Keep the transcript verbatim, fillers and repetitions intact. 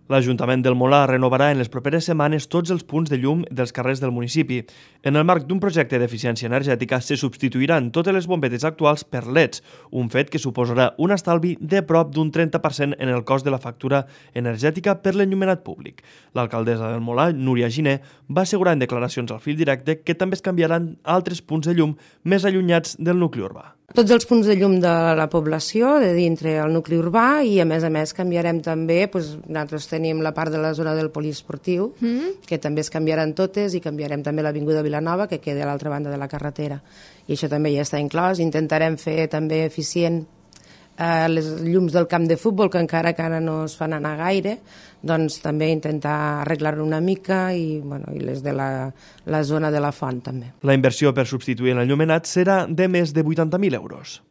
L'Ajuntament del Molar renovarà en les properes setmanes tots els punts de llum dels carrers del municipi. En el marc d'un projecte d'eficiència energètica se substituiran totes les bombetes actuals per L E Ds, un fet que suposarà un estalvi de prop d'un trenta per cent en el cost de la factura energètica per l'enllumenat públic. L'alcaldessa del Molar, Núria Giner, va assegurar en declaracions al Fil Directe que també es canviaran altres punts de llum més allunyats del nucli urbà. Tots els punts de llum de la població, de dintre el nucli urbà, i a més a més canviarem també, doncs, nosaltres tenim la part de la zona del poliesportiu, mm-hmm. que també es canviaran totes, i canviarem també l'Avinguda Vilanova, que queda a l'altra banda de la carretera. I això també ja està inclòs. Intentarem fer també eficient eh, les llums del camp de futbol, que encara que ara no es fan anar gaire, doncs també intentar arreglar-ho una mica, i, bueno, i les de la, la zona de la font també. La inversió per substituir l'enllumenat serà de més de vuitanta mil euros.